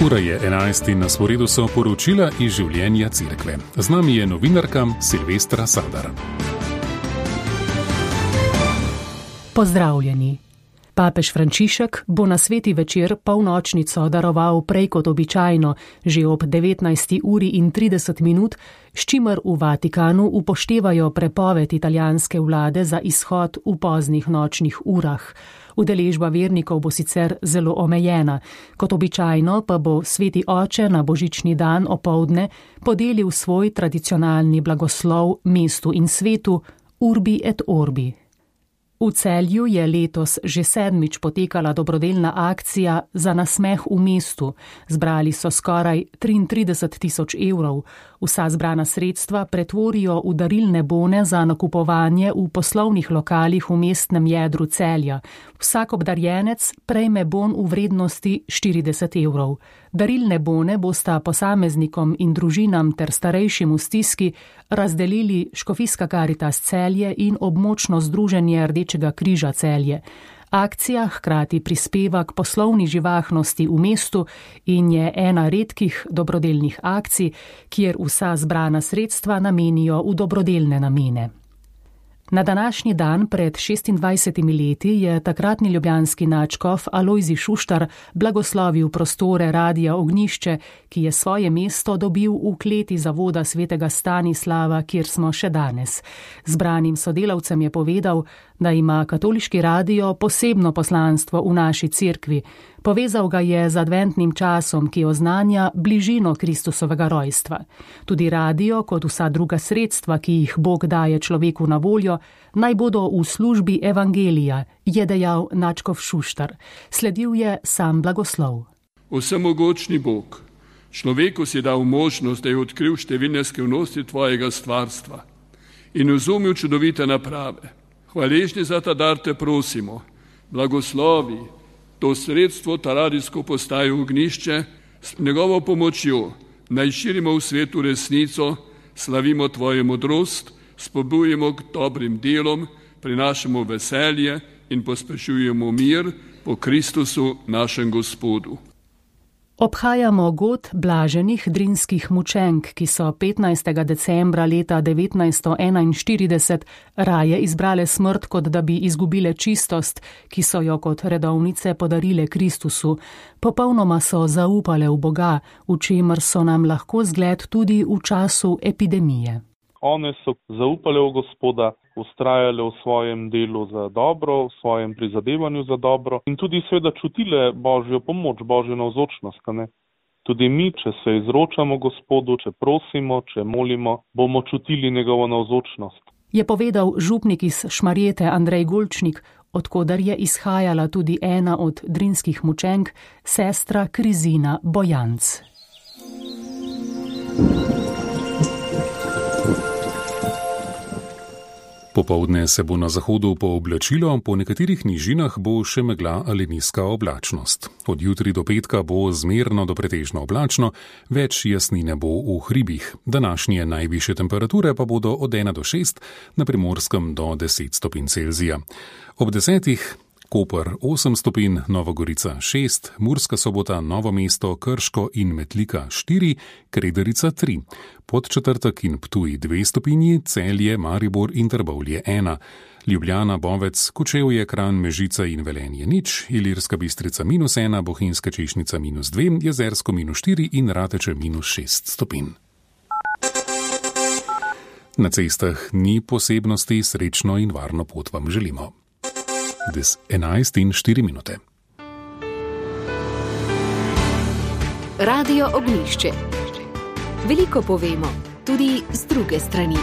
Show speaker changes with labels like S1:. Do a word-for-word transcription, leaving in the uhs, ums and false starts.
S1: Ura je enajst in na sporedu so poročila iz življenja cerkve. Z nami je novinarka Silvestra Sadar.
S2: Pozdravljeni. Papež Frančišek bo na sveti večer polnočnico daroval prej kot običajno, že ob devetnajsti uri in trideset minut, s čimer v Vatikanu upoštevajo prepoved italijanske vlade za izhod v poznih nočnih urah. Udeležba vernikov bo sicer zelo omejena, kot običajno pa bo sveti oče na božični dan opoldne podelil svoj tradicionalni blagoslov mestu in svetu Urbi et Orbi. V Celju je letos že sedmič potekala dobrodelna akcija za nasmeh v mestu. Zbrali so skoraj triintrideset tisoč evrov. Vsa zbrana sredstva pretvorijo v darilne bone za nakupovanje v poslovnih lokalih v mestnem jedru Celja. Vsak obdarjenec prejme bon v vrednosti štirideset evrov. Darilne bone bosta posameznikom in družinam ter starejšim v stiski razdelili Škofijska Karitas Celje in območno združenje Rdečega križa Celje. Akcija hkrati prispeva k poslovni živahnosti v mestu in je ena redkih dobrodelnih akcij, kjer vsa zbrana sredstva namenijo v dobrodelne namene. Na današnji dan pred šestindvajsetimi leti je takratni ljubljanski nadškof Alojzij Šuštar blagoslovil prostore Radia Ognjišče, ki je svoje mesto dobil v kleti zavoda svetega Stanislava, kjer smo še danes. Zbranim sodelavcem je povedal, da ima katoliški radio posebno poslanstvo v naši cerkvi. Povezal ga je z adventnim časom, ki oznanja bližino Kristusovega rojstva. Tudi radio, kot vsa druga sredstva, ki jih Bog daje človeku na voljo, naj bodo v službi evangelija, je dejal nadškof Šuštar. Sledil je sam blagoslov.
S3: Vsemogočni Bog, človeku si dal možnost, da je odkril številne skrivnosti tvojega stvarstva in razumel čudovite naprave. Hvaležni za ta dar te prosimo, blagoslovi to sredstvo, ta radijsko postajo Ognjišče, s njegovo pomočjo naj širimo v svetu resnico, slavimo tvojo modrost, spodbujemo k dobrim delom, prinašamo veselje in pospešujemo mir po Kristusu našem Gospodu.
S2: Obhajamo god blaženih drinskih mučenk, ki so petnajstega decembra leta devetnajststo enainštirideset raje izbrale smrt, kot da bi izgubile čistost, ki so jo kot redovnice podarile Kristusu. Popolnoma so zaupale v Boga, v čemer so nam lahko zgled tudi v času epidemije.
S4: One so zaupale v Gospoda, ustrajale v svojem delu za dobro, v svojem prizadevanju za dobro in tudi seveda čutile Božjo pomoč, Božjo navzočnost. Ne? Tudi mi, če se izročamo Gospodu, če prosimo, če molimo, bomo čutili njegovo navzočnost.
S2: Je povedal župnik iz Šmarjete Andrej Golčnik, odkudar je izhajala tudi ena od drinskih mučenk, sestra Krizina Bojanc.
S1: Popoldne se bo na zahodu pooblačilo, po nekaterih nižinah bo še megla ali nizka oblačnost. Od jutri do petka bo zmerno do pretežno oblačno, več jasnine bo v hribih. Današnje najvišje temperature pa bodo od ena do šest, na Primorskem do deset stopinj Celzija. Ob desetih Koper osem stopinj, Nova Gorica šest, Murska Sobota, Novo mesto, Krško in Metlika štiri, Kredarica tri, Podčetrtek in Ptuj dve stopinji, Celje, Maribor in Trbovlje ena, Ljubljana, Bovec, Kočevje, Kranj, Mežica in Velenje nič, Ilirska Bistrica minus ena, Bohinjska Češnjica minus dve, Jezersko minus štiri in Rateče minus šest stopinj. Na cestah ni posebnosti, srečno in varno pot vam želimo. Des enajst in štiri minute.
S5: Radio Ognjišče. Veliko povemo, tudi z druge strani.